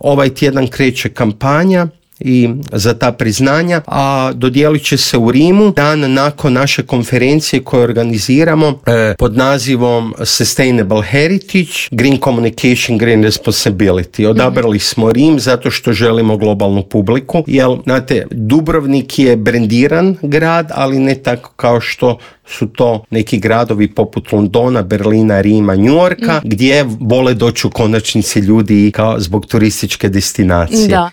Ovaj tjedan kreće kampanja i za ta priznanja, a dodijelit će se u Rimu dan nakon naše konferencije koju organiziramo pod nazivom Sustainable Heritage, Green Communication, Green Responsibility. Odabrali smo Rim zato što želimo globalnu publiku, jer znate, Dubrovnik je brendiran grad, ali ne tako kao što su to neki gradovi poput Londona, Berlina, Rima, New Yorka, gdje vole doći u konačnici ljudi kao zbog turističke destinacije. Da.